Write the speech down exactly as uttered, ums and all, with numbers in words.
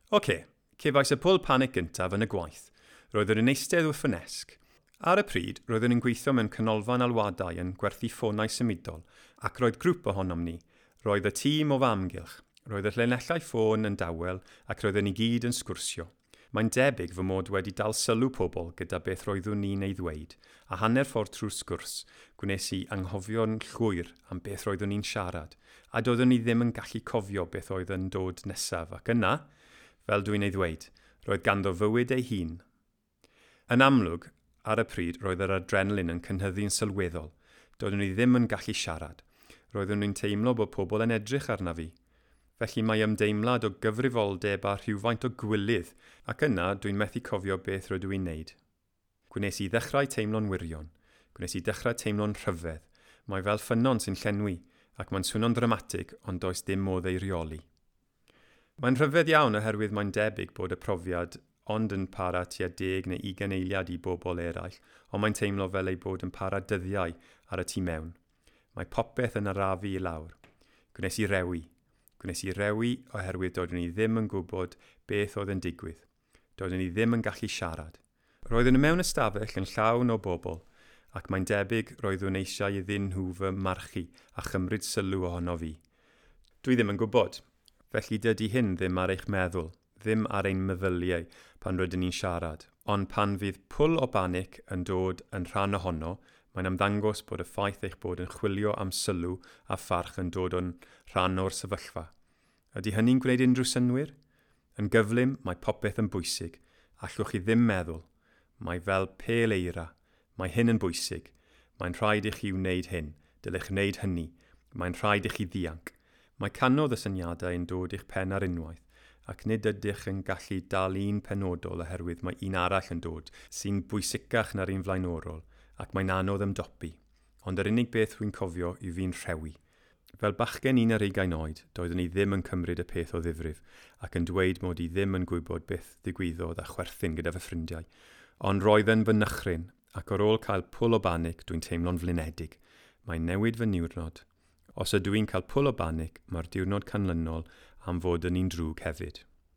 Oce, cefais y pwl panic gyntaf yn y gwaith. Roeddwn yn eistedd wrth fy nesg. Ar y pryd, roeddwn yn gweithio mewn canolfan alwadau yn gwerthu ffonau symudol, ac roedd grŵp ohonom ni. Roedd y tîm o fy amgylch. Roedd y llinellau ffôn yn dawel ac roedden ni gyd yn sgwrsio. Mae'n debyg fy mod wedi dal sylw pobl gyda beth roeddwn ni'n ei ddweud, a hanner ffordd trwy'r sgwrs, gwnes i anghofio'n llwyr am beth roeddwn ni'n siarad, a doeddwn ni ddim yn gallu cofio beth oedd yn dod nesaf, ac yna, fel dwi'n ei ddweud, roedd ganddo fywyd ei hun. Yn amlwg, ar y pryd roedd yr adrenalin yn cynhyddu'n sylweddol. Doeddwn i ddim yn gallu siarad. Roeddwn i'n teimlo bod pobl yn edrych arna fi. Felly mae ymdeimlad o gyfrifoldeb a rhywfaint o gwilydd, ac yna dwi'n methu cofio beth rydw i'n neud. Gwnes i ddechrau teimlo'n wirion. Gwnes i ddechrau teimlo'n rhyfedd. Mae fel ffynnon sy'n llenwi, ac mae'n swno'n ddramatig, ond does dim modd ei reoli. Mae'n rhyfedd iawn oherwydd mae'n debyg bod y profiad ond yn para tua deg neu ugain eiliad i bobl eraill, ond mae'n teimlo fel ei bod yn para dyddiau ar y tu mewn. Mae popeth yn arafu i lawr. Gwnes i rewi. Gwnes i rewi oherwydd doeddwn i ddim yn gwybod beth oedd yn digwydd. Doeddwn i ddim yn gallu siarad. Roeddwn i mewn ystafell yn llawn o bobl, ac mae'n debyg roeddwn eisiau iddyn nhw fy marchu a chymryd sylw ohono fi. Dwi ddim yn gwybod. Felly dydy hyn ddim ar eich meddwl, ddim ar ein meddyliau pan rydyn ni'n siarad. Ond pan fydd pwl o banic yn dod yn rhan ohono, mae'n ymddangos bod y ffaith eich bod yn chwilio am sylw a pharch yn dod yn rhan o'r sefyllfa. Ydy hynny'n gwneud unrhyw synnwyr? Yn gyflym, mae popeth yn bwysig. Allwch chi ddim meddwl. Mae fel pêl eira. Mae hyn yn bwysig. Mae'n rhaid i chi wneud hyn. Dylech wneud hynny. Mae'n rhaid i chi ddianc. Mae cannoedd y syniadau yn dod i'ch pen ar unwaith, ac nid ydych yn gallu dal un penodol oherwydd mae un arall yn dod sy'n bwysicach na'r un flaenorol, ac mae'n anodd ymdopi. Ond yr unig beth rwy'n cofio yw fi'n rhewi. Fel bachgen un ar ugain oed, doeddwn i ddim yn cymryd y peth o ddifrif, ac yn dweud mod i ddim yn gwybod beth ddigwyddodd a chwerthin gyda fy ffrindiau. Ond roedd yn fy nychryn, ac ar ôl cael pwl o banic dwi'n teimlo'n flinedig. Mae'n newid fy niwrnod. Os ydw i'n cael pwl o banic, mae'r diwrnod canlynol am fod yn un drwg hefyd.